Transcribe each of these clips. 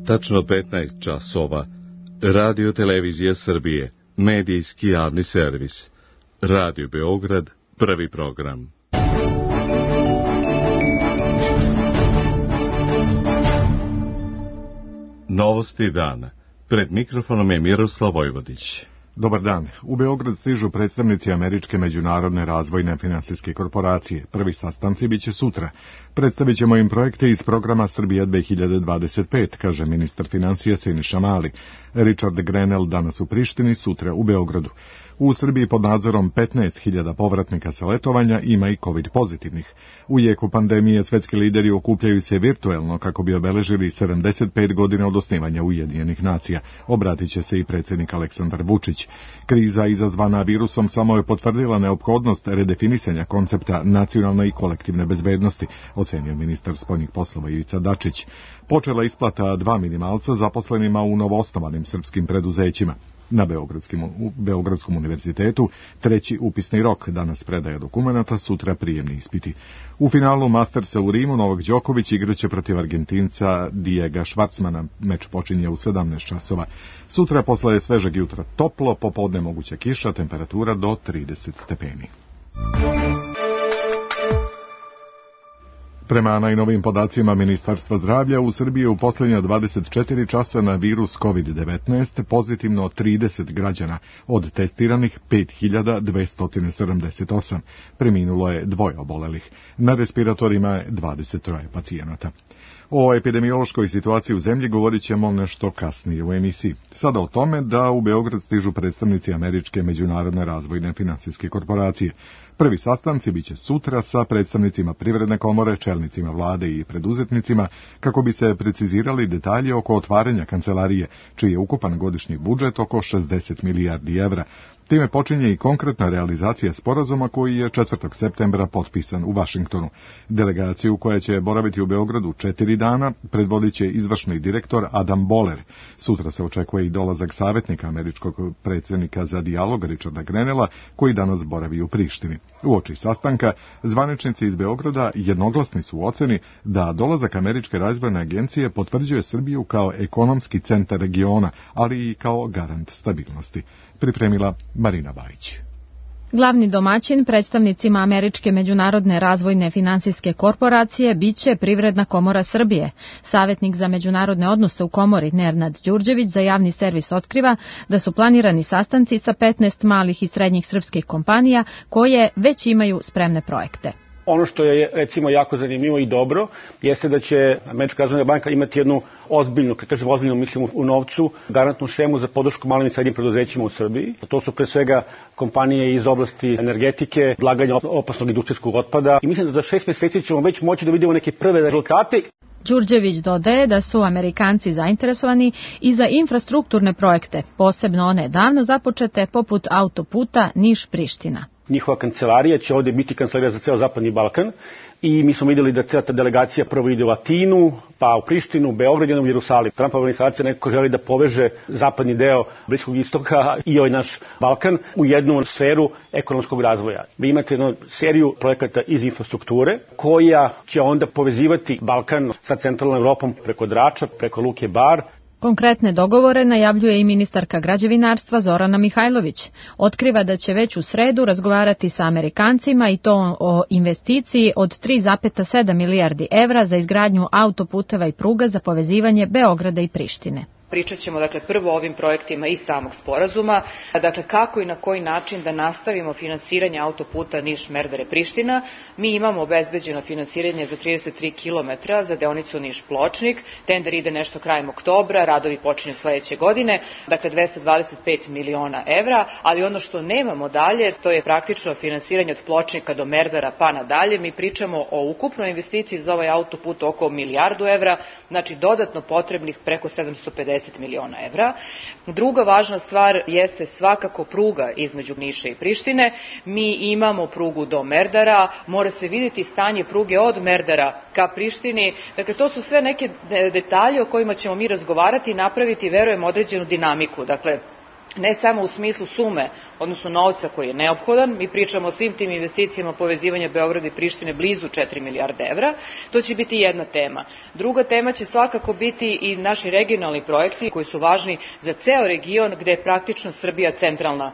tačno 15 časova, Radio Televizija Srbije, medijski javni servis, Radio Beograd, prvi program. Novosti dana. Pred mikrofonom je Miroslav Vojvodić. Dobar dan. U Beograd stižu predstavnici Američke međunarodne razvojne finansijske korporacije. Prvi sastanci biće sutra. Predstavit ćemo im projekte iz programa Srbija 2025, kaže ministar finansija Siniša Mali. Richard Grenell danas u Prištini, sutra u Beogradu. U Srbiji pod nadzorom 15.000 povratnika sa letovanja, ima i COVID pozitivnih. U jeku pandemije svetski lideri okupljaju se virtuelno kako bi obeležili 75 godina od osnivanja Ujedinjenih nacija. Obratit će se i predsjednik Aleksandar Vučić. Kriza izazvana virusom samo je potvrdila neophodnost redefinisanja koncepta nacionalne i kolektivne bezbednosti, ocenio ministar spoljnih poslova Ivica Dačić. Počela isplata 2 minimalca zaposlenima u novoosnovanim srpskim preduzećima. Na Beogradskom univerzitetu treći upisni rok, danas predaja dokumenata, sutra prijemni ispiti. U finalu Mastersa u Rimu Novak Đoković igraće protiv Argentinca Diega Schwartzmana. Meč počinje u 17 časova. Sutra posle svežeg jutra toplo, popodne moguća kiša, temperatura do 30 stepeni. Prema najnovijim podacima Ministarstva zdravlja, u Srbiji u posljednja 24 časa na virus COVID-19 pozitivno 30 građana, od testiranih 5278. Preminulo je 2 obolelih. Na respiratorima je 23 pacijenata. O epidemiološkoj situaciji u zemlji govorit ćemo nešto kasnije u emisiji. Sada o tome da u Beograd stižu predstavnici Američke međunarodne razvojne finansijske korporacije. Prvi sastanci biće sutra sa predstavnicima Privredne komore, čelnicima vlade i preduzetnicima, kako bi se precizirali detalji oko otvaranja kancelarije, čiji je ukupan godišnji budžet oko 60 milijardi evra. Time počinje i konkretna realizacija sporazuma koji je 4. septembra potpisan u Vašingtonu. Delegaciju koja će boraviti u Beogradu 4 dana predvodit će izvršni direktor Adam Boller. Sutra se očekuje i dolazak savjetnika američkog predsjednika za dijalog Richarda Grenella, koji danas boravi u Prištini. Uoči sastanka, zvaničnici iz Beograda jednoglasni su u oceni da dolazak Američke razvojne agencije potvrđuje Srbiju kao ekonomski centar regiona, ali i kao garant stabilnosti. Pripremila Marina Bajić. Glavni domaćin predstavnicima Američke međunarodne razvojne finansijske korporacije biće Privredna komora Srbije. Savjetnik za međunarodne odnose u komori Nenad Đurđević za javni servis otkriva da su planirani sastanci sa 15 malih i srednjih srpskih kompanija koje već imaju spremne projekte. Ono što je recimo jako zanimljivo i dobro jeste da će Američka razvojna banka imati jednu ozbiljnu, kad kažem ozbiljnu, mislim u novcu, garantnu šemu za podršku malim i srednjim preduzećima u Srbiji. To su pre svega kompanije iz oblasti energetike, odlaganja opasnog industrijskog otpada i mislim da za 6 mjeseci ćemo već moći da vidimo neke prve rezultate. Đurđević dodaje da su Amerikanci zainteresovani i za infrastrukturne projekte, posebno one davno započete poput autoputa Niš-Priština. Njihova kancelarija će ovdje biti kancelarija za ceo Zapadni Balkan i mi smo vidjeli da cijela ta delegacija prvo ide u Atinu, pa u Prištinu, Beograd i u Jerusalim. Trumpova administracija nekako želi da poveže zapadni deo Bliskog istoka i ovaj naš Balkan u jednu sferu ekonomskog razvoja. Vi imate jednu seriju projekata iz infrastrukture koja će onda povezivati Balkan sa centralnom Evropom preko Drača, preko Luke Bar. Konkretne dogovore najavljuje i ministarka građevinarstva Zorana Mihajlović. Otkriva da će već u sredu razgovarati sa Amerikancima i to o investiciji od 3,7 milijardi evra za izgradnju autoputeva i pruga za povezivanje Beograda i Prištine. Pričat ćemo prvo o ovim projektima iz samog sporazuma, kako i na koji način da nastavimo finansiranje autoputa Niš-Merdare-Priština. Mi imamo obezbeđeno finansiranje za 33 km za deonicu Niš-Pločnik, tender ide nešto krajem oktobra, radovi počinju sledeće godine, 225 miliona evra, ali ono što nemamo dalje, to je praktično finansiranje od Pločnika do Merdara pa nadalje. Mi pričamo o ukupnoj investiciji za ovaj autoput oko milijardu evra, znači dodatno potrebnih preko 750 miliona evra. Druga važna stvar jeste svakako pruga između Niša i Prištine. Mi imamo prugu do Merdara, mora se vidjeti stanje pruge od Merdara ka Prištini. Dakle, to su sve neke detalje o kojima ćemo mi razgovarati i napraviti, verujem, određenu dinamiku. Dakle, ne samo u smislu sume, odnosno novca koji je neophodan, mi pričamo o svim tim investicijama povezivanja Beograda i Prištine blizu 4 milijarde evra, to će biti jedna tema. Druga tema će svakako biti i naši regionalni projekti koji su važni za ceo region gde je praktično Srbija centralna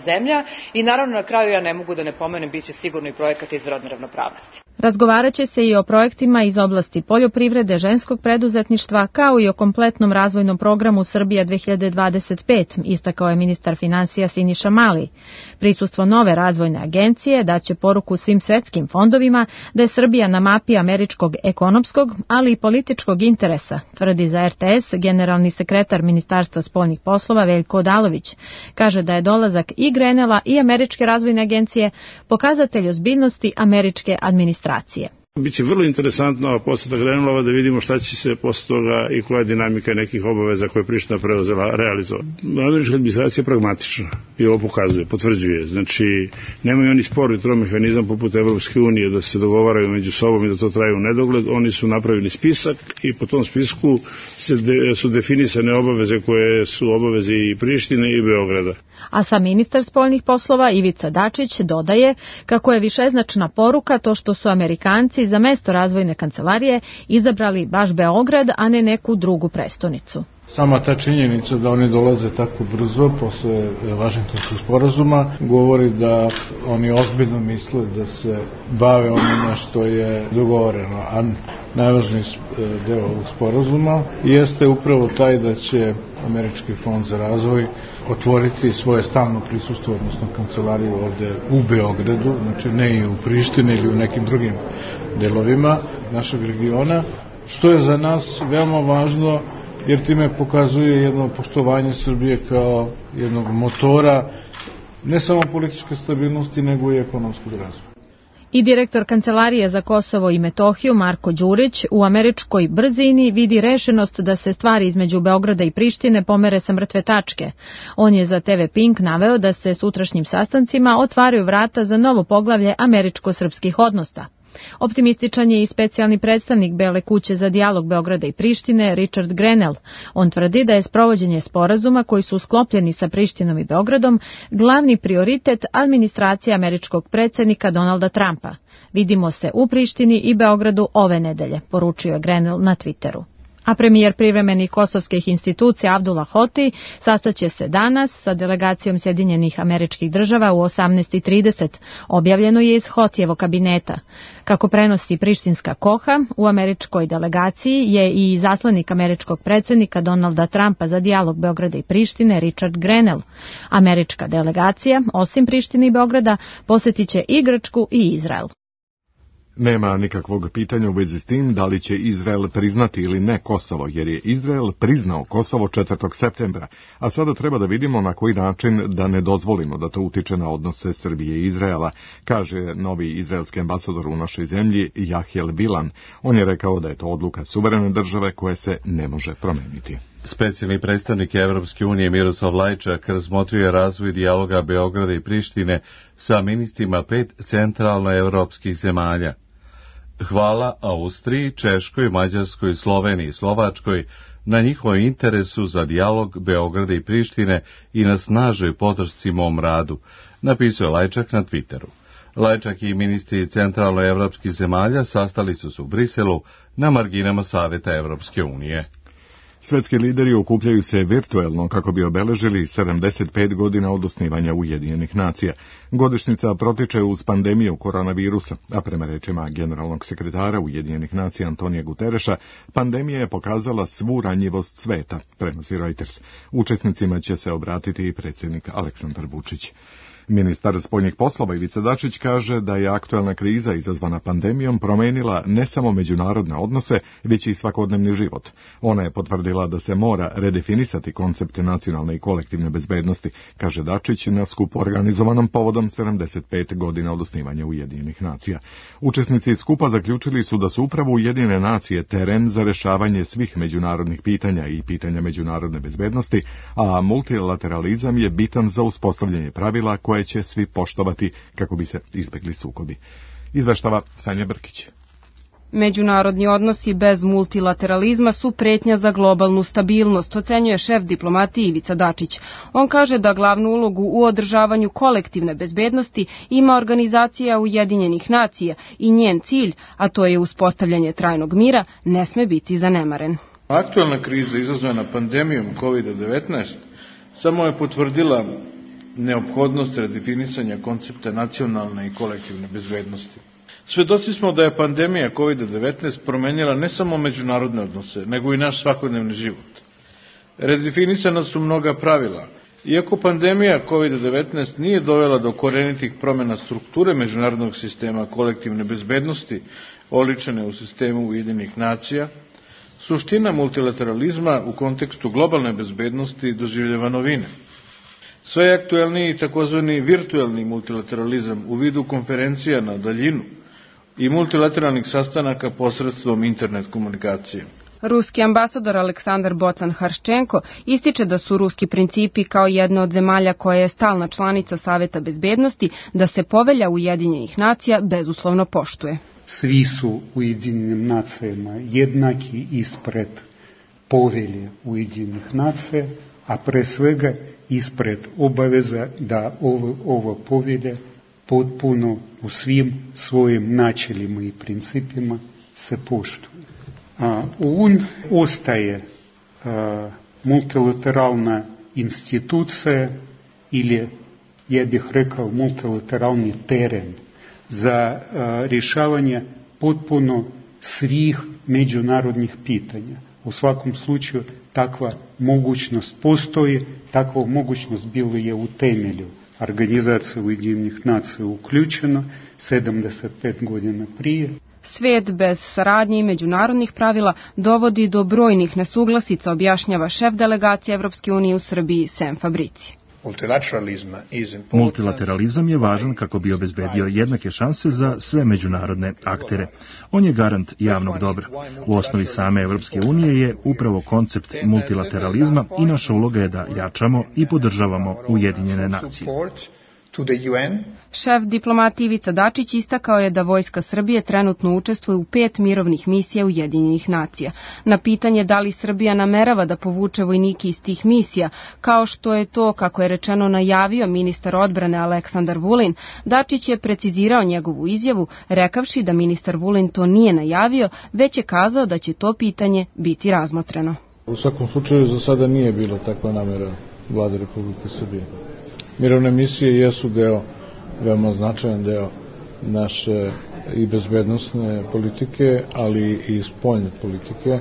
zemlja i naravno na kraju ja ne mogu da ne pomenem biće sigurno i projekat iz rodne ravnopravnosti. Razgovarat će se i o projektima iz oblasti poljoprivrede, ženskog preduzetništva, kao i o kompletnom razvojnom programu Srbija 2025, istakao je ministar finansija Siniša Mali. Prisustvo nove razvojne agencije daće poruku svim svetskim fondovima da je Srbija na mapi američkog ekonomskog, ali i političkog interesa, tvrdi za RTS generalni sekretar Ministarstva spoljnih poslova Veljko Odalović. Kaže da je dolazak i Grenela i Američke razvojne agencije pokazatelj ozbiljnosti američke administracije. Biće vrlo interesantno poseta Grenelova da vidimo šta će se posle toga i koja je dinamika nekih obaveza koje je Priština preuzela realizovati. Američka administracija je pragmatična i ovo pokazuje, potvrđuje. Znači, nemaju oni spor i mehanizam poput Evropske unije da se dogovaraju među sobom i da to traje u nedogled. Oni su napravili spisak i po tom spisku su definisane obaveze koje su obaveze i Prištine i Beograda. A sam ministar spoljnih poslova Ivica Dačić dodaje kako je višeznačna poruka to što su Amerikanci za mesto razvojne kancelarije izabrali baš Beograd, a ne neku drugu prestonicu. Sama ta činjenica da oni dolaze tako brzo posle Vašingtonskog sporazuma govori da oni ozbiljno misle da se bave onime što je dogovoreno, a najvažniji deo ovog sporazuma jeste upravo taj da će Američki fond za razvoj otvoriti svoje stalno prisustvo, odnosno kancelariju ovde u Beogradu, znači ne i u Prištini ili u nekim drugim delovima našeg regiona, što je za nas veoma važno jer time pokazuje jedno poštovanje Srbije kao jednog motora ne samo političke stabilnosti, nego i ekonomskog razvoja. I direktor Kancelarije za Kosovo i Metohiju Marko Đurić u američkoj brzini vidi rešenost da se stvari između Beograda i Prištine pomere sa mrtve tačke. On je za TV Pink naveo da se sutrašnjim sastancima otvaraju vrata za novo poglavlje američko-srpskih odnosa. Optimističan je i specijalni predstavnik Bele kuće za dijalog Beograda i Prištine, Richard Grenell. On tvrdi da je sprovođenje sporazuma koji su sklopljeni sa Prištinom i Beogradom glavni prioritet administracije američkog predsjednika Donalda Trumpa. Vidimo se u Prištini i Beogradu ove nedelje, poručio je Grenell na Twitteru. A premijer privremenih kosovskih institucija Abdullah Hoti sastaće se danas sa delegacijom Sjedinjenih Američkih Država u 18:30, objavljeno je iz Hotijevog kabineta. Kako prenosi prištinska Koha, u američkoj delegaciji je i izaslanik američkog predsjednika Donalda Trumpa za dijalog Beograda i Prištine Richard Grenell. Američka delegacija, osim Prištine i Beograda, posjetit će i Grčku i Izrael. Nema nikakvog pitanja u vezi s tim da li će Izrael priznati ili ne Kosovo, jer je Izrael priznao Kosovo 4. septembra, a sada treba da vidimo na koji način da ne dozvolimo da to utiče na odnose Srbije i Izraela, kaže novi izraelski ambasador u našoj zemlji Jahiel Bilan. On je rekao da je to odluka suverene države koje se ne može promeniti. Specijalni predstavnik Evropske unije Miroslav Lajčak razmotrio je razvoj dijaloga Beograda i Prištine sa ministrima 5 centralnoevropskih zemalja. Hvala Austriji, Češkoj, Mađarskoj, Sloveniji i Slovačkoj na njihovom interesu za dijalog Beograda i Prištine i na snažnoj podršci mom radu, napisao je Lajčak na Twitteru. Lajčak i ministri centralnoevropskih zemalja sastali su se u Briselu na marginama Saveta Evropske unije. Svetski lideri okupljaju se virtuelno kako bi obeležili 75 godina od osnivanja Ujedinjenih nacija. Godišnjica protiče uz pandemiju koronavirusa, a prema rečima generalnog sekretara Ujedinjenih nacija Antonija Gutereša, pandemija je pokazala svu ranjivost sveta, prenosi Reuters. Učesnicima će se obratiti i predsjednik Aleksandar Vučić. Ministar spoljnih poslova Ivica Dačić kaže da je aktuelna kriza izazvana pandemijom promenila ne samo međunarodne odnose, već i svakodnevni život. Ona je potvrdila da se mora redefinisati koncept nacionalne i kolektivne bezbednosti, kaže Dačić na skupu organizovanom povodom 75 godina od osnivanja Ujedinjenih nacija. Učesnici skupa zaključili su da su upravo Ujedinjene nacije teren za rešavanje svih međunarodnih pitanja i pitanja međunarodne bezbednosti, a multilateralizam je bitan za uspostavljanje pravila koje će svi poštovati kako bi se izbegli sukobi. Izveštava Sanja Brkić. Međunarodni odnosi bez multilateralizma su pretnja za globalnu stabilnost, ocenjuje šef diplomatije Ivica Dačić. On kaže da glavnu ulogu u održavanju kolektivne bezbednosti ima Organizacija Ujedinjenih nacija i njen cilj, a to je uspostavljanje trajnog mira, ne sme biti zanemaren. Aktualna kriza izazvana pandemijom COVID-19 samo je potvrdila neophodnost redefinisanja koncepta nacionalne i kolektivne bezbednosti. Svedoci smo da je pandemija COVID-19 promenila ne samo međunarodne odnose, nego i naš svakodnevni život. Redefinisana su mnoga pravila. Iako pandemija COVID-19 nije dovela do korenitih promjena strukture međunarodnog sistema kolektivne bezbednosti, oličene u sistemu Ujedinjenih nacija, suština multilateralizma u kontekstu globalne bezbednosti doživljava novine. Sve je aktuelniji takozvani virtuelni multilateralizam u vidu konferencija na daljinu i multilateralnih sastanaka posredstvom internet komunikacije. Ruski ambasador Aleksandar Bocan-Harščenko ističe da su ruski principi kao jedna od zemalja koja je stalna članica Saveta bezbednosti, da se povelja Ujedinjenih nacija bezuslovno poštuje. Svi su Ujedinjenim nacijama jednaki ispred povelje Ujedinjenih nacija, a pre svega ispred obaveza da ova povelja potpuno u svim svojim načelima i principima se poštuje. UN ostaje multilateralna institucija ili, ja bih rekao, multilateralni teren za rješavanje potpuno svih međunarodnih pitanja. U svakom slučaju takva mogućnost postoji, takva mogućnost bilo je u temelju Organizacije Ujedinjenih nacija uključena 75 godina prije. Svijet bez saradnje i međunarodnih pravila dovodi do brojnih nesuglasica, objašnjava šef delegacije Evropske unije u Srbiji Sem Fabrici. Multilateralizam je važan kako bi obezbedio jednake šanse za sve međunarodne aktere. On je garant javnog dobra. U osnovi same Evropske unije je upravo koncept multilateralizma i naša uloga je da jačamo i podržavamo Ujedinjene nacije. Šef diplomatije Ivica Dačić istakao je da Vojska Srbije trenutno učestvuje u 5 mirovnih misija Ujedinjenih nacija. Na pitanje da li Srbija namerava da povuče vojnike iz tih misija, kao što je to, kako je rečeno, najavio ministar odbrane Aleksandar Vulin, Dačić je precizirao njegovu izjavu, rekavši da ministar Vulin to nije najavio, već je kazao da će to pitanje biti razmotreno. U svakom slučaju za sada nije bilo takva namera Vlade Republike Srbije. Mirovne misije jesu veoma značajan deo naše i bezbednosne politike, ali i spoljne politike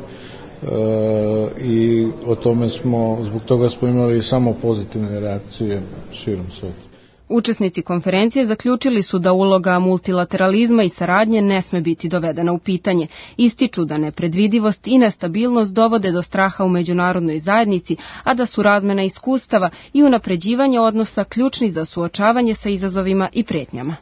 i zbog toga smo imali samo pozitivne reakcije širom sveta. Učesnici konferencije zaključili su da uloga multilateralizma i saradnje ne sme biti dovedena u pitanje. Ističu da nepredvidivost i nestabilnost dovode do straha u međunarodnoj zajednici, a da su razmena iskustava i unapređivanje odnosa ključni za suočavanje sa izazovima i pretnjama.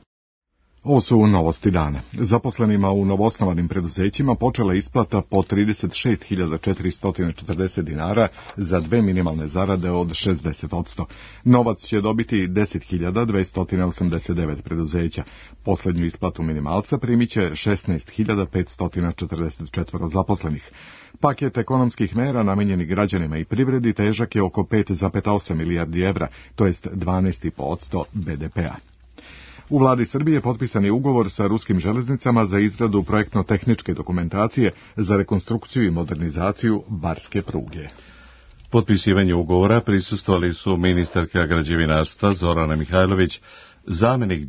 Ovo su novosti dana. Zaposlenima u novoosnovanim preduzećima počela isplata po 36.440 dinara za 2 minimalne zarade od 60%. Novac će dobiti 10.289 preduzeća. Poslednju isplatu minimalca primit će 16.544 zaposlenih. Paket ekonomskih mera namenjeni građanima i privredi težak je oko 5,8 milijardi evra, to jest 12,5% BDP-a. U vladi Srbije potpisan je ugovor sa ruskim železnicama za izradu projektno-tehničke dokumentacije za rekonstrukciju i modernizaciju barske pruge. Potpisivanju ugovora prisustvovali su ministarka građevinarstva Zorana Mihajlović, zamenik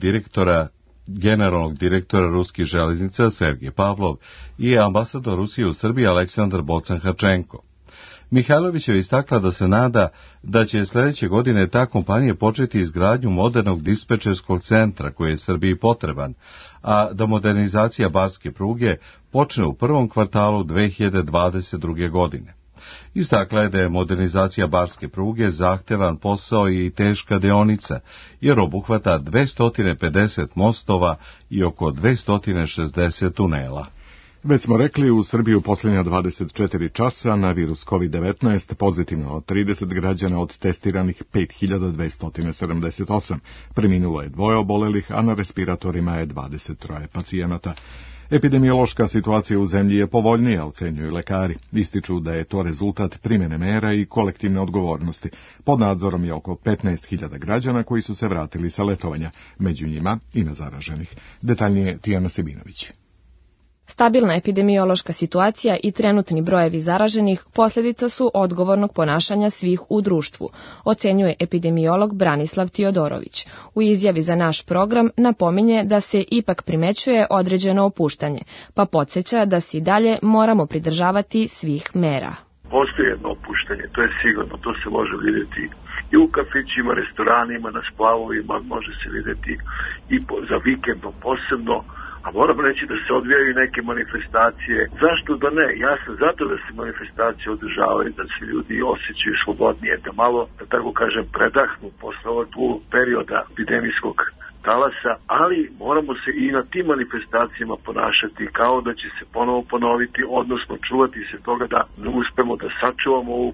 generalnog direktora ruskih železnica Sergej Pavlov i ambasador Rusije u Srbiji Aleksandar Bocan-Harščenko. Mihajlović je istakla da se nada da će sledeće godine ta kompanija početi izgradnju modernog dispečerskog centra koji je Srbiji potreban, a da modernizacija barske pruge počne u prvom kvartalu 2022. godine. Istakla je da je modernizacija barske pruge zahtevan posao i teška deonica, jer obuhvata 250 mostova i oko 260 tunela. Već smo rekli, u Srbiji u posljednja 24 časa na virus COVID-19 pozitivno od 30 građana od testiranih 5278. Preminulo je 2 obolelih, a na respiratorima je 23 pacijenata. Epidemiološka situacija u zemlji je povoljnija, ocenjuju lekari. Ističu da je to rezultat primjene mera i kolektivne odgovornosti. Pod nadzorom je oko 15.000 građana koji su se vratili sa letovanja. Među njima ima zaraženih. Detaljnije Tijana Sebinović. Stabilna epidemiološka situacija i trenutni brojevi zaraženih posljedica su odgovornog ponašanja svih u društvu, ocenjuje epidemiolog Branislav Tiodorović. U izjavi za naš program napominje da se ipak primećuje određeno opuštanje, pa podsjeća da se i dalje moramo pridržavati svih mera. Postoji jedno opuštanje, to je sigurno, to se može vidjeti i u kafićima, restoranima, na splavovima, može se vidjeti i za vikendom posebno. A moram reći da se odvijaju neke manifestacije. Zašto da ne? Ja sam zato da se manifestacije održavaju, da se ljudi osjećaju slobodnije, da malo, da tako kažem, predahnu posle ovog perioda epidemijskog talasa, ali moramo se i na tim manifestacijama ponašati kao da će se ponovo ponoviti, odnosno čuvati se toga da uspemo da sačuvamo ovu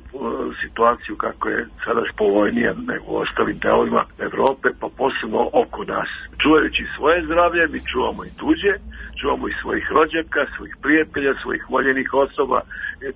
situaciju kako je sada povoljnija nego u ostalim delovima Evrope, pa posebno oko nas. Čuvajući svoje zdravlje, mi čuvamo i tuđe, čuvamo i svojih rođaka, svojih prijatelja, svojih voljenih osoba,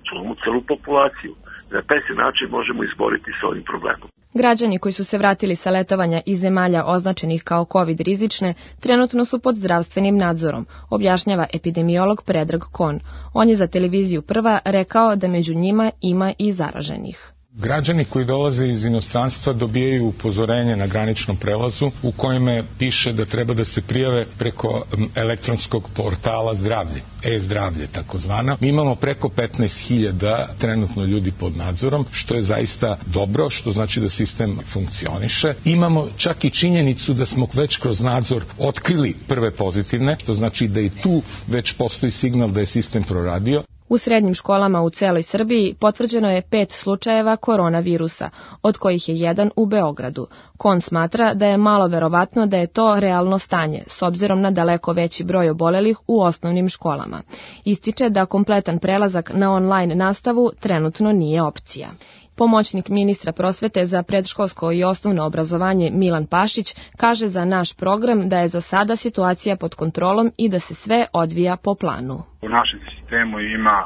čuvamo celu populaciju. Na taj se način možemo izboriti s ovim problemom. Građani koji su se vratili sa letovanja iz zemalja označenih kao COVID rizične trenutno su pod zdravstvenim nadzorom, objašnjava epidemiolog Predrag Kon. On je za televiziju Prva rekao da među njima ima i zaraženih. Građani koji dolaze iz inostranstva dobijaju upozorenje na graničnom prelazu u kojima piše da treba da se prijave preko elektronskog portala zdravlje, e-zdravlje takozvana. Mi imamo preko 15.000 trenutno ljudi pod nadzorom, što je zaista dobro, što znači da sistem funkcioniše. Imamo čak i činjenicu da smo već kroz nadzor otkrili prve pozitivne, to znači da i tu već postoji signal da je sistem proradio. U srednjim školama u celoj Srbiji potvrđeno je 5 slučajeva koronavirusa, od kojih je jedan u Beogradu. Kon smatra da je malo verovatno da je to realno stanje, s obzirom na daleko veći broj obolelih u osnovnim školama. Ističe da kompletan prelazak na online nastavu trenutno nije opcija. Pomoćnik ministra prosvete za predškolsko i osnovno obrazovanje Milan Pašić kaže za naš program da je za sada situacija pod kontrolom i da se sve odvija po planu. U našem sistemu ima,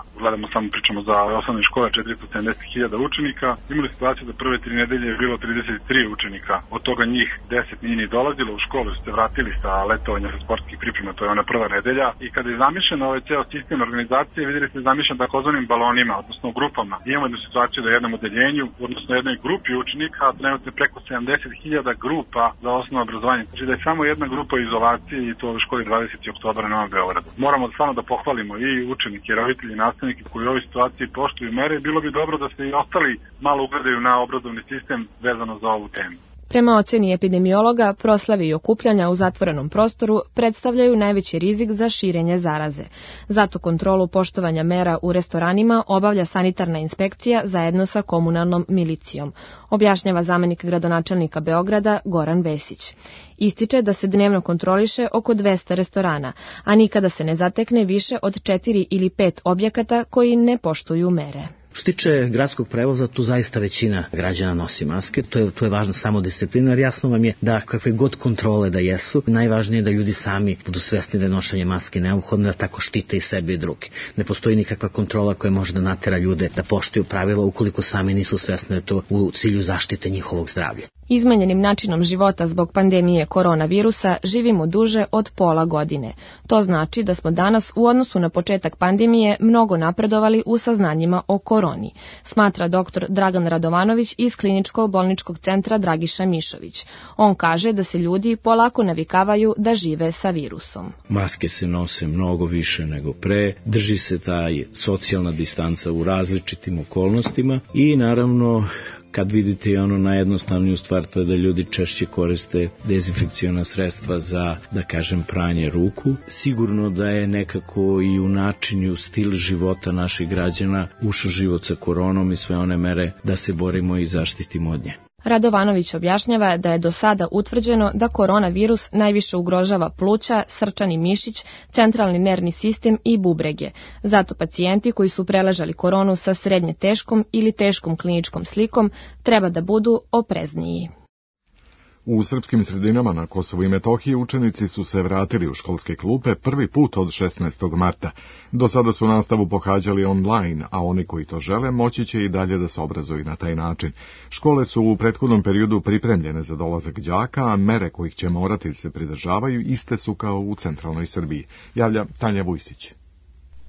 pričamo za osnovne škole, 470.000 učenika. Imali situaciju da prve 3 nedelje je bilo 33 učenika. Od toga njih 10 nije ni dolazilo u školu, su se vratili sa letovanja sa sportskih priprema, to je ona prva nedelja. I kada je zamišljen ovaj ceo sistem organizacije, vidjeli ste zamišljen takozvanim balonima, odnosno grupama. Imamo jednu situaciju da je jednom odeljenju, odnosno jednoj grupi učenika, trenutno preko 70.000 grupa za osnovno obrazovanje. Znači da je samo jedna grupa izolacije i to u školi 20. oktobra na Novom Beogradu. Moramo stvarno da pohvalimo i učenike, roditelji, nastavnike koji u ovoj situaciji poštuju mere. Bilo bi dobro da se i ostali malo ugledaju na obrazovni sistem vezano za ovu temu. Prema oceni epidemiologa, proslave i okupljanja u zatvorenom prostoru predstavljaju najveći rizik za širenje zaraze. Zato kontrolu poštovanja mera u restoranima obavlja sanitarna inspekcija zajedno sa komunalnom milicijom, objašnjava zamenik gradonačelnika Beograda Goran Vesić. Ističe da se dnevno kontroliše oko 200 restorana, a nikada se ne zatekne više od 4 ili 5 objekata koji ne poštuju mere. Što tiče gradskog prevoza, tu zaista većina građana nosi maske, to je važna samodisciplina, jer jasno vam je da kakve god kontrole da jesu, najvažnije je da ljudi sami budu svesni da je nošenje maske neophodno, da tako štite i sebe i druge. Ne postoji nikakva kontrola koja može da natera ljude da poštuju pravila ukoliko sami nisu svesni da je to u cilju zaštite njihovog zdravlja. Izmenjenim načinom života zbog pandemije koronavirusa živimo duže od pola godine. To znači da smo danas u odnosu na početak pandemije mnogo napredovali u saznanjima o koroni, smatra dr. Dragan Radovanović iz Kliničkog bolničkog centra Dragiša Mišović. On kaže da se ljudi polako navikavaju da žive sa virusom. Maske se nose mnogo više nego pre, drži se taj socijalna distanca u različitim okolnostima i naravno kad vidite i ono najjednostavniju stvar, to je da ljudi češće koriste dezinfekciona sredstva za, da kažem, pranje ruku. Sigurno da je nekako i u načinu stil života naših građana ušao život sa koronom i sve one mere da se borimo i zaštitimo od nje. Radovanović objašnjava da je do sada utvrđeno da koronavirus najviše ugrožava pluća, srčani mišić, centralni nervni sistem i bubrege. Zato pacijenti koji su preležali koronu sa srednje teškom ili teškom kliničkom slikom treba da budu oprezniji. U srpskim sredinama na Kosovu i Metohiji učenici su se vratili u školske klupe prvi put od 16. marta. Do sada su nastavu pohađali online, a oni koji to žele moći će i dalje da se obrazuju na taj način. Škole su u prethodnom periodu pripremljene za dolazak đaka, a mere kojih će morati se pridržavaju iste su kao u centralnoj Srbiji. Javlja Tanja Vujsić.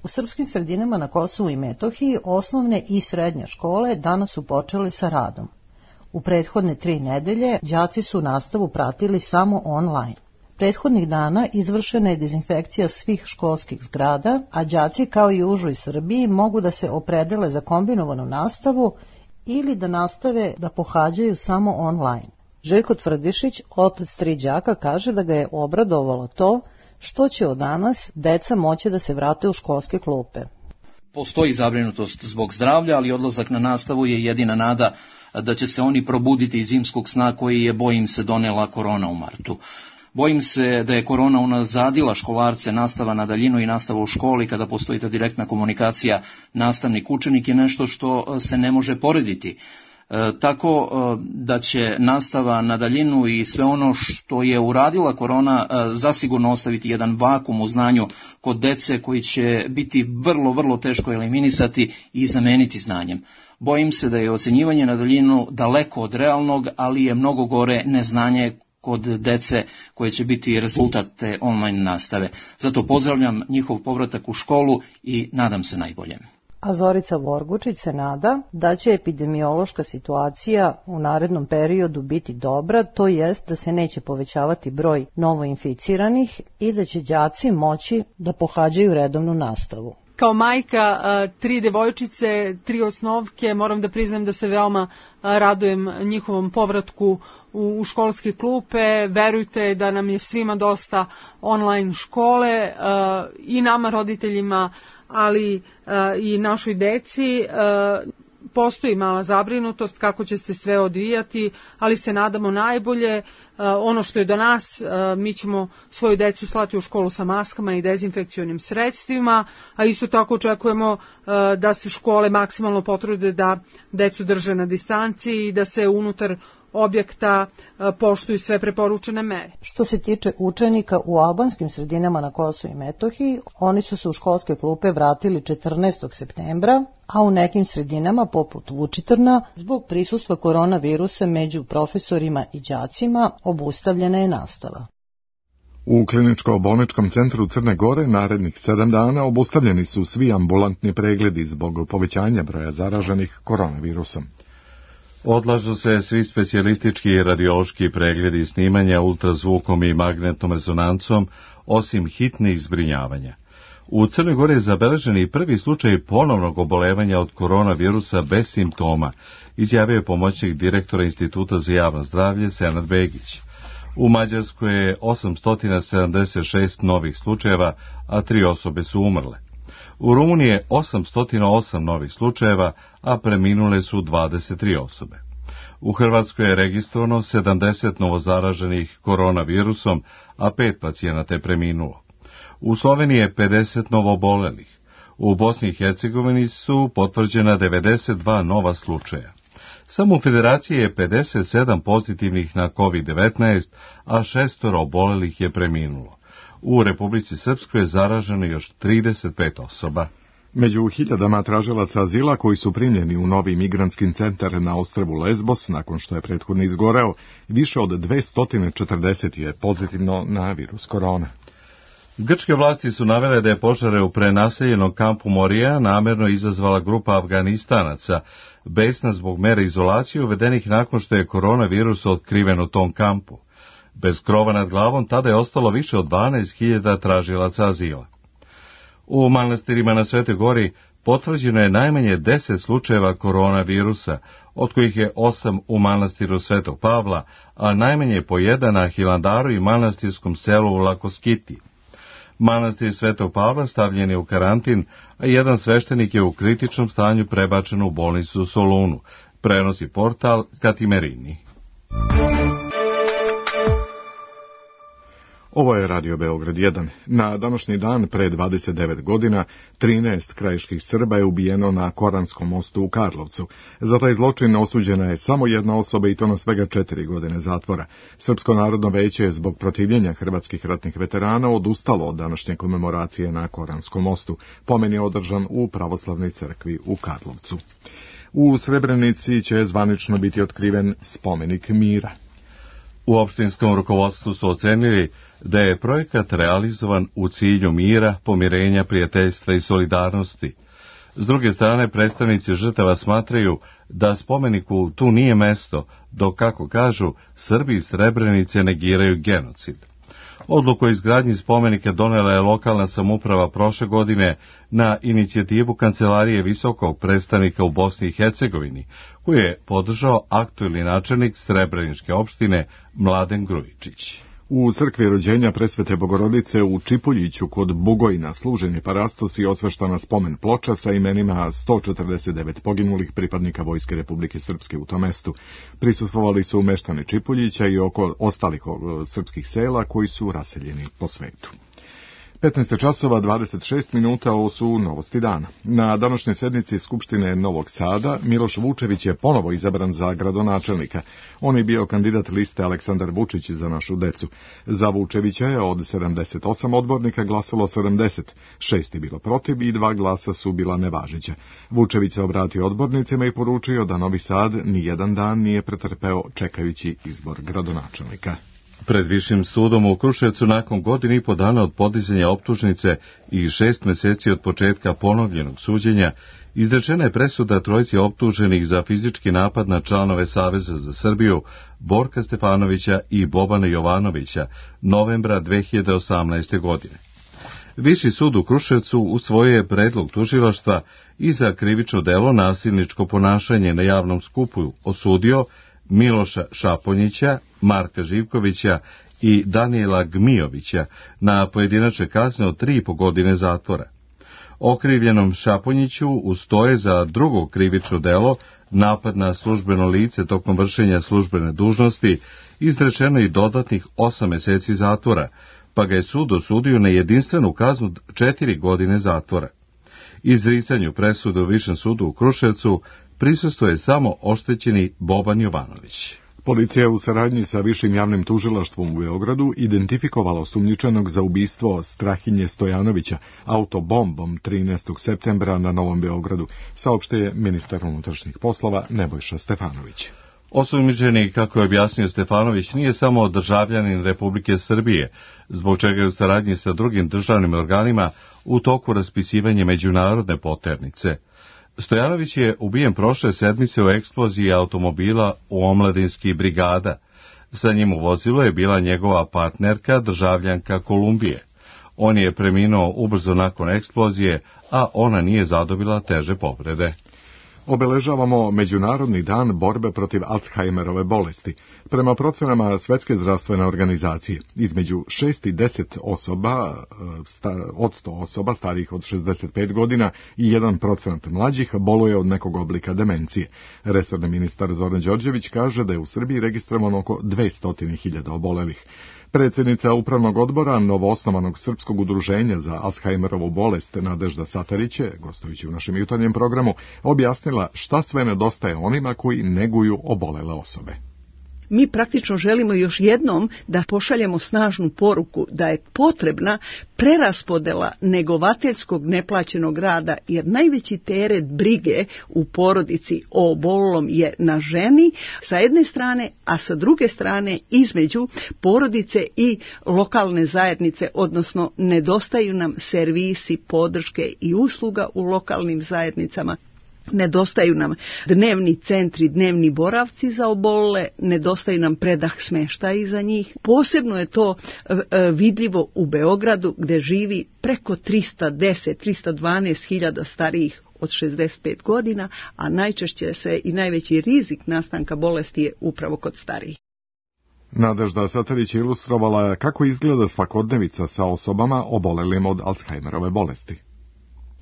U srpskim sredinama na Kosovu i Metohiji osnovne i srednje škole danas su počele sa radom. U prethodne 3 nedelje đaci su nastavu pratili samo online. Prethodnih dana izvršena je dezinfekcija svih školskih zgrada, a đaci kao i u užoj Srbiji mogu da se opredele za kombinovanu nastavu ili da nastave da pohađaju samo online. Željko Tvrdišić, otac 3 đaka, kaže da ga je obradovalo to što će od danas deca moći da se vrate u školske klupe. Postoji zabrinutost zbog zdravlja, ali odlazak na nastavu je jedina nada da će se oni probuditi iz zimskog sna koji je, bojim se, donela korona u martu. Bojim se da je korona unazadila školarce, nastava na daljinu i nastava u školi kada postoji ta direktna komunikacija nastavnik-učenik je nešto što se ne može porediti. Tako da će nastava na daljinu i sve ono što je uradila korona zasigurno ostaviti jedan vakum u znanju kod dece koji će biti vrlo, vrlo teško eliminisati i zameniti znanjem. Bojim se da je ocenjivanje na daljinu daleko od realnog, ali je mnogo gore neznanje kod dece koje će biti rezultat te online nastave. Zato pozdravljam njihov povratak u školu i nadam se najboljem. A Zorica Vorgučić se nada da će epidemiološka situacija u narednom periodu biti dobra, to jest da se neće povećavati broj novoinficiranih i da će đaci moći da pohađaju redovnu nastavu. Kao majka 3 devojčice, 3 osnovke, moram da priznam da se veoma radujem njihovom povratku u školske klupe. Verujte da nam je svima dosta online škole i nama roditeljima, ali i našoj deci. Postoji mala zabrinutost kako će se sve odvijati, ali se nadamo najbolje. Ono što je do nas, mi ćemo svoju decu slati u školu sa maskama i dezinfekcionim sredstvima, a isto tako očekujemo da se škole maksimalno potrude da decu drže na distanci i da se unutar objekta poštuju sve preporučene mere. Što se tiče učenika u albanskim sredinama na Kosovu i Metohiji, oni su se u školske klupe vratili 14. septembra, a u nekim sredinama poput Vučitrna, zbog prisustva koronavirusa među profesorima i đacima, obustavljena je nastava. U kliničko-bolničkom centru Crne Gore narednih 7 dana obustavljeni su svi ambulantni pregledi zbog povećanja broja zaraženih koronavirusom. Odlažu se svi specijalistički i radiološki pregledi i snimanja ultrazvukom i magnetnom rezonancom, osim hitnih zbrinjavanja. U Crnoj Gori je zabeležen i prvi slučaj ponovnog obolevanja od koronavirusa bez simptoma, izjavio je pomoćnik direktora Instituta za javno zdravlje Senad Begić. U Mađarskoj je 876 novih slučajeva, a 3 osobe su umrle. U Rumuniji je 808 novih slučajeva, a preminule su 23 osobe. U Hrvatskoj je registrovano 70 novozaraženih koronavirusom, a 5 pacijenata je preminulo. U Sloveniji je 50 novoobolelih. U Bosni i Hercegovini su potvrđena 92 nova slučaja. Samo u Federaciji je 57 pozitivnih na COVID-19, a 6 obolelih je preminulo. U Republici Srpskoj je zaraženo još 35 osoba. Među hiljadama tražilaca azila koji su primljeni u novi migrantski centar na ostrvu Lesbos, nakon što je prethodno izgoreo, više od 240 je pozitivno na virus korona. Grčke vlasti su navele da je požare u prenaseljenom kampu Morija namerno izazvala grupa Afganistanaca, besna zbog mera izolacije uvedenih nakon što je koronavirus otkriven u tom kampu. Bez krova nad glavom tada je ostalo više od 12.000 tražilaca azila. U manastirima na Svetoj Gori potvrđeno je najmanje 10 slučajeva koronavirusa, od kojih je 8 u manastiru Svetog Pavla, a najmanje po 1 na Hilandaru i manastirskom selu u Lakoskiti. Manastir Svetog Pavla stavljen je u karantin, a jedan sveštenik je u kritičnom stanju prebačen u bolnicu u Solunu, prenosi portal Katimerini. Ovo je Radio Beograd 1. Na današnji dan, pre 29 godina, 13 krajiških Srba je ubijeno na Koranskom mostu u Karlovcu. Za taj zločin osuđena je samo jedna osoba i to na svega 4 godine zatvora. Srpsko narodno veće je zbog protivljenja hrvatskih ratnih veterana odustalo od današnje komemoracije na Koranskom mostu. Pomen je održan u pravoslavnoj crkvi u Karlovcu. U Srebrenici će zvanično biti otkriven spomenik mira. U opštinskom rukovodstvu su ocenili da je projekat realizovan u cilju mira, pomirenja, prijateljstva i solidarnosti. S druge strane, predstavnici žrtava smatraju da spomeniku tu nije mesto, dok, kako kažu, Srbi iz Srebrenice negiraju genocid. Odluku o izgradnji spomenika donela je lokalna samouprava prošle godine na inicijativu Kancelarije visokog predstavnika u Bosni i Hercegovini, koju je podržao aktuelni načelnik Srebreničke opštine Mladen Grujičić. U crkvi rođenja Presvete Bogorodice u Čipuljiću kod Bugojna služen je parastos i osveštana spomen ploča sa imenima 149 poginulih pripadnika Vojske Republike Srpske u tom mestu. Prisustvovali su meštani Čipuljića i oko ostalih srpskih sela koji su raseljeni po svetu. 15 časova 26 minuta, ovo su novosti dana. Na današnjoj sednici Skupštine Novog Sada Miloš Vučević je ponovo izabran za gradonačelnika. On je bio kandidat liste Aleksandar Vučić za našu decu. Za Vučevića je od 78 odbornika glasalo 70, 6 je bilo protiv i 2 glasa su bila nevažeća. Vučević se obratio odbornicima i poručio da Novi Sad ni jedan dan nije pretrpeo čekajući izbor gradonačelnika. Pred Višim sudom u Kruševcu nakon godinu i po dana od podizanja optužnice i 6 meseci od početka ponovljenog suđenja, izrečena je presuda trojici optuženih za fizički napad na članove Saveza za Srbiju, Borka Stefanovića i Bobana Jovanovića, novembra 2018. godine. Viši sud u Kruševcu usvojio je predlog tužilaštva i za krivično delo nasilničko ponašanje na javnom skupu osudio Miloša Šaponjića, Marka Živkovića i Danijela Gmijovića na pojedinačne kazne od 3,5 godine zatvora. Okrivljenom Šaponjiću ustoje za drugo krivično delo, napad na službeno lice tokom vršenja službene dužnosti, izrečeno i dodatnih 8 meseci zatvora, pa ga je sud osudio na jedinstvenu kaznu 4 godine zatvora. Izricanju presude u Višem sudu u Kruševcu prisustvuje samo oštećeni Boban Jovanović. Policija u saradnji sa Višim javnim tužilaštvom u Beogradu identifikovala osumnjičenog za ubistvo Strahinje Stojanovića autobombom 13. septembra na Novom Beogradu, saopštuje ministar unutrašnjih poslova Nebojša Stefanović. Osumnjičeni, kako je objasnio Stefanović, nije samo državljanin Republike Srbije, zbog čega je u saradnji sa drugim državnim organima u toku raspisivanja međunarodne poternice. Stojanović je ubijen prošle sedmice u eksploziji automobila u Omladinski brigada. Sa njim u vozilu je bila njegova partnerka, državljanka Kolumbije. On je preminuo ubrzo nakon eksplozije, a ona nije zadobila teže povrede. Obeležavamo Međunarodni dan borbe protiv Alzheimerove bolesti. Prema procenama Svetske zdravstvene organizacije, između 6 i 10 osoba, od 100 osoba starijih od 65 godina i 1% mlađih boluje od nekog oblika demencije. Resorni ministar Zoran Đorđević kaže da je u Srbiji registrovano oko 200.000 obolelih. Predsjednica Upravnog odbora novoosnovanog Srpskog udruženja za Alzheimerovu bolest Nadežda Satarić je, gostujući u našem jutarnjem programu, objasnila šta sve nedostaje onima koji neguju obolele osobe. Mi praktično želimo još jednom da pošaljemo snažnu poruku da je potrebna preraspodela negovateljskog neplaćenog rada, jer najveći teret brige u porodici o obolelom je na ženi sa jedne strane, a sa druge strane između porodice i lokalne zajednice, odnosno nedostaju nam servisi, podrške i usluga u lokalnim zajednicama. Nedostaju nam dnevni centri, dnevni boravci za obolele, nedostaju nam predah smještaja za njih. Posebno je to vidljivo u Beogradu gdje živi preko 312 hiljada starijih od 65 godina, a najčešće se i najveći rizik nastanka bolesti je upravo kod starijih. Nadežda Satarić je ilustrovala kako izgleda svakodnevica sa osobama obolelim od Alzheimerove bolesti.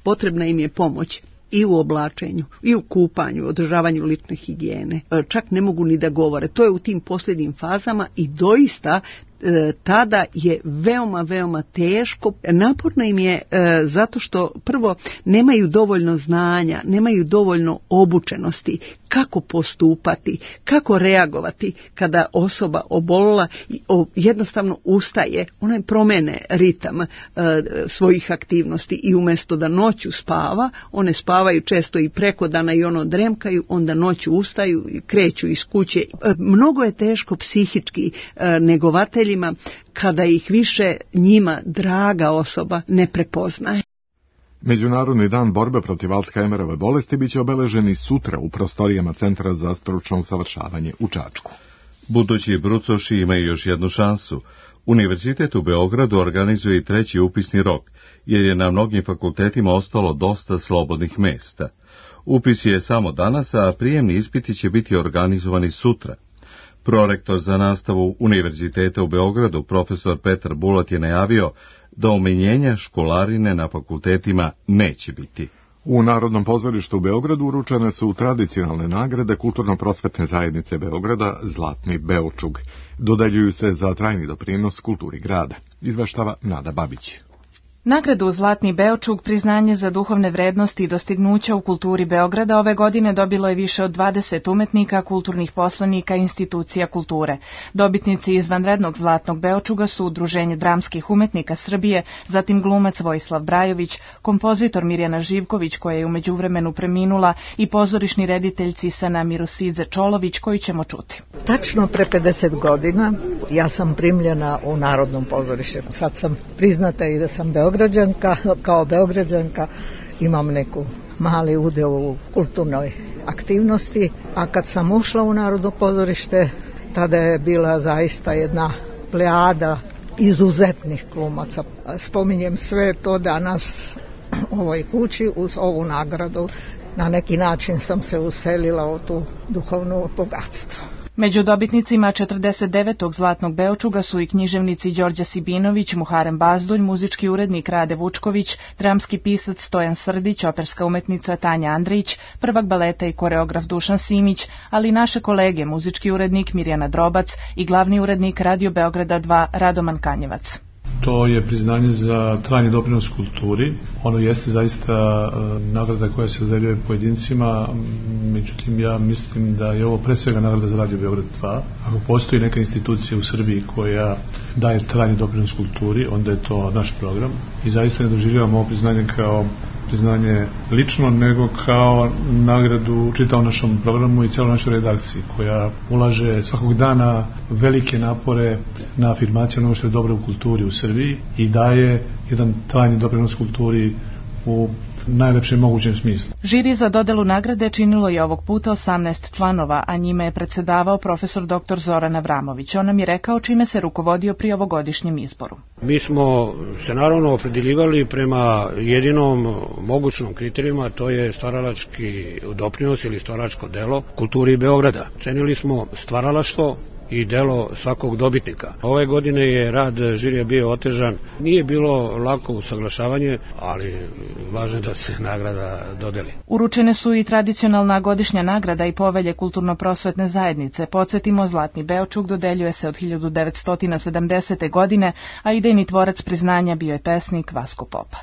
Potrebna im je pomoć i u oblačenju, i u kupanju, održavanju lične higijene. Čak ne mogu ni da govore. To je u tim posljednjim fazama i doista tada je veoma teško. Naporno im je zato što prvo nemaju dovoljno znanja, nemaju dovoljno obučenosti kako postupati, kako reagovati kada osoba obolila, jednostavno ustaje, ona promene ritam svojih aktivnosti i umjesto da noću spava, one spavaju često i preko dana i ono dremkaju, onda noću ustaju i kreću iz kuće. Mnogo je teško psihički negovateljima kada ih više njima draga osoba ne prepoznaje. Međunarodni dan borbe protiv Alzheimerove bolesti biće obeležen i sutra u prostorijama Centra za stručno usavršavanje u Čačku. Budući brucoši imaju još jednu šansu. Univerzitet u Beogradu organizuje i treći upisni rok, jer je na mnogim fakultetima ostalo dosta slobodnih mesta. Upis je samo danas, a prijemni ispiti će biti organizovani sutra. Prorektor za nastavu Univerziteta u Beogradu, profesor Petar Bulat, je najavio da umenjenja školarine na fakultetima neće biti. U Narodnom pozorištu u Beogradu uručene su tradicionalne nagrade Kulturno-prosvetne zajednice Beograda Zlatni Beočug. Dodeljuju se za trajni doprinos kulturi grada. Izveštava Nada Babić. Nagradu Zlatni Beočug, priznanje za duhovne vrednosti i dostignuća u kulturi Beograda, ove godine dobilo je više od 20 umetnika, kulturnih poslanika i institucija kulture. Dobitnici izvanrednog Zlatnog Beočuga su Udruženje dramskih umetnika Srbije, zatim glumac Vojislav Brajović, kompozitor Mirjana Živković, koja je u međuvremenu preminula, i pozorišni reditelj Cisana Mirosidze Čolović, koju ćemo čuti. Tačno pre 50 godina ja sam primljena u Narodnom pozorište. Sad sam priznata i da sam Beograđanka, kao Beograđanka imam neku mali udeo u kulturnoj aktivnosti, a kad sam ušla u Narodno pozorište, tada je bila zaista jedna plejada izuzetnih glumaca. Spominjem sve to danas u ovoj kući uz ovu nagradu. Na neki način sam se uselila u tu duhovno bogatstvo. Među dobitnicima 49. Zlatnog Beočuga su i književnici Đorđe Sibinović, Muharem Bazdulj, muzički urednik Rade Vučković, dramski pisac Stojan Srdić, operska umetnica Tanja Andrić, prvak baleta i koreograf Dušan Simić, ali i naše kolege, muzički urednik Mirjana Drobac i glavni urednik Radio Beograda 2 Radoman Kanjevac. To je priznanje za trajni doprinos kulturi. Ono jeste zaista nagrada koja se dodeljuje pojedincima, međutim ja mislim da je ovo pre svega nagrada za Radio Beograd 2. Ako postoji neka institucija u Srbiji koja daje trajni doprinos kulturi, onda je to naš program i zaista ne doživljavamo ovo priznanje kao priznanje lično, nego kao nagradu čitavom našom programu i cijeloj našoj redakciji, koja ulaže svakog dana velike napore na afirmaciju onoga što je dobro u kulturi u Srbiji i daje jedan trajni doprinos kulturi u najlepšem mogućem smislu. Žiri za dodelu nagrade činilo je ovog puta 18 članova, a njime je predsedavao profesor dr. Zoran Avramović. On nam je rekao čime se rukovodio pri ovogodišnjem izboru. Mi smo se naravno opredeljivali prema jedinom mogućnom kriterijuma, to je stvaralački doprinos ili stvaralačko delo kulturi Beograda. Cenili smo stvaralaštvo i delo svakog dobitnika. Ove godine je rad žirija bio otežan. Nije bilo lako usaglašavanje, ali važno je da se nagrada dodeli. Uručene su i tradicionalna godišnja nagrada i povelje Kulturno-prosvetne zajednice. Podsjetimo, Zlatni Beočug dodeljuje se od 1970. godine, a idejni tvorac priznanja bio je pesnik Vasko Popa.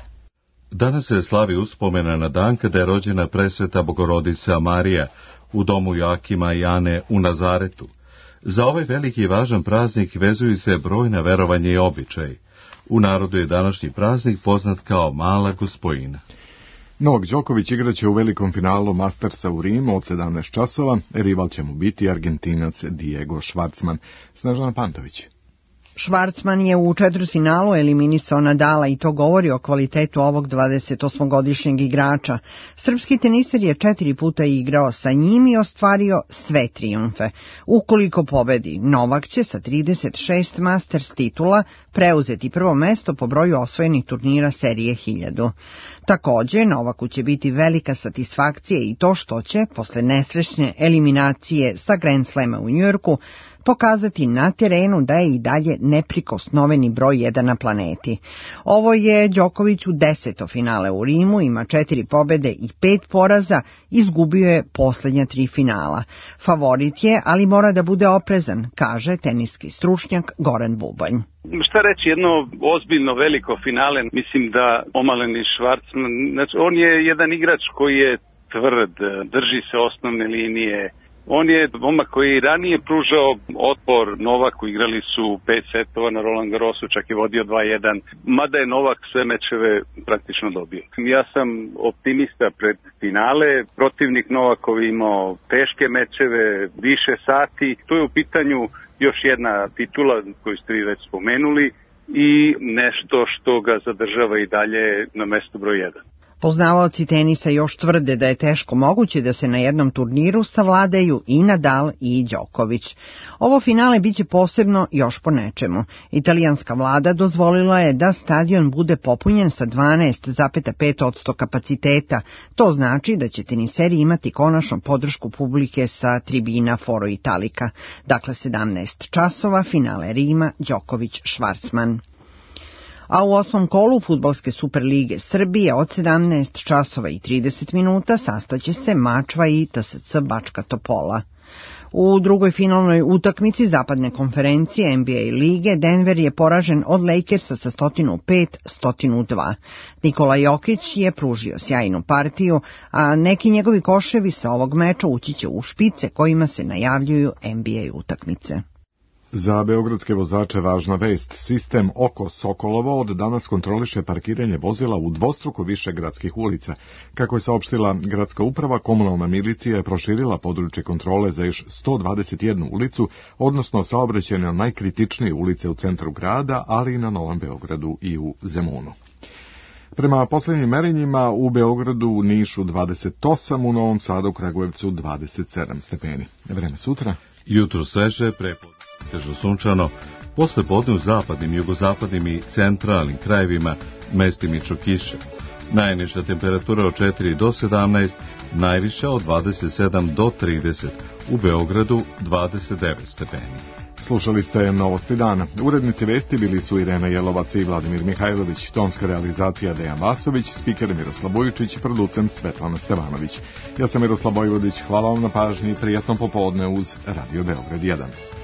Danas se slavi uspomena na dan kada je rođena presveta Bogorodica Marija u domu Joakima i Ane u Nazaretu. Za ovaj veliki i važan praznik vezuju se brojna verovanja i običaji. U narodu je današnji praznik poznat kao Mala Gospojina. Novak Đoković igraće u velikom finalu Mastersa u Rimu od 17 časova. Rival će mu biti Argentinac Diego Schwartzman. Snežana Pantović. Schwartzman je u četvrtfinalu eliminisao Nadala i to govori o kvalitetu ovog 28-godišnjeg igrača. Srpski teniser je 4 puta igrao sa njim i ostvario sve trijumfe. Ukoliko pobedi, Novak će sa 36 Masters titula preuzeti prvo mesto po broju osvojenih turnira serije 1000. Takođe, Novaku će biti velika satisfakcija i to što će, posle nesrećne eliminacije sa Grand Slama u Njujorku, pokazati na terenu da je i dalje neprikosnoveni broj 1 na planeti. Ovo je Đoković u 10. finale u Rimu, ima 4 pobede i 5 poraza, izgubio je poslednja 3 finala. Favorit je, ali mora da bude oprezan, kaže teniski stručnjak Goran Bubanj. Šta reći, jedno ozbiljno veliko finale, mislim da Omaleni Švarcman, znači on je jedan igrač koji je tvrd, drži se osnovne linije. On je momak koji ranije pružao otpor Novaku, igrali su 5 setova na Roland Garrosu, čak je vodio 2-1, mada je Novak sve mečeve praktično dobio. Ja sam optimista pred finale, protivnik Novakov imao teške mečeve, više sati, tu je u pitanju još jedna titula koju ste vi već spomenuli i nešto što ga zadržava i dalje na mestu broj 1. Poznavaoci tenisa još tvrde da je teško moguće da se na jednom turniru savladaju i Nadal i Đoković. Ovo finale biće posebno još po nečemu. Italijanska vlada dozvolila je da stadion bude popunjen sa 12,5% kapaciteta. To znači da će teniseri imati konačno podršku publike sa tribina Foro Italika. Dakle, 17 časova, finale Rima, Đoković-Švarcman. A u 8. kolu Fudbalske Superlige Srbije od 17 časova i 30 minuta sastaće se Mačva i TSC Bačka Topola. U drugoj finalnoj utakmici zapadne konferencije NBA lige Denver je poražen od Lakersa sa 105-102. Nikola Jokić je pružio sjajnu partiju, a neki njegovi koševi sa ovog meča ući će u špice kojima se najavljuju NBA utakmice. Za beogradske vozače važna vest. Sistem Oko Sokolovo od danas kontroliše parkiranje vozila u dvostruko više gradskih ulica. Kako je saopštila gradska uprava, komunalna milicija je proširila područje kontrole za još 121 ulicu, odnosno saobraćajne najkritičnije ulice u centru grada, ali i na Novom Beogradu i u Zemunu. Prema posljednjim merenjima u Beogradu, u Nišu 28, u Novom Sadu, Kragujevcu 27 stepeni. Vreme sutra. Jutro sveže, prepodne težo sunčano, posle podne u zapadnim, jugozapadnim i centralnim krajevima mestimično kiše. Najniža temperatura od 4 do 17, najviša od 27 do 30, u Beogradu 29 stepeni. Slušali ste Novosti dana. Urednici vesti bili su Irena Jelovac i Vladimir Mihajlović, tonska realizacija Dejan Vasović, spiker Miroslav Bojičić, producent Svetlana Stevanović. Ja sam Miroslav Bojvodić, hvala vam na pažnji i prijatno popodne uz Radio Beograd 1.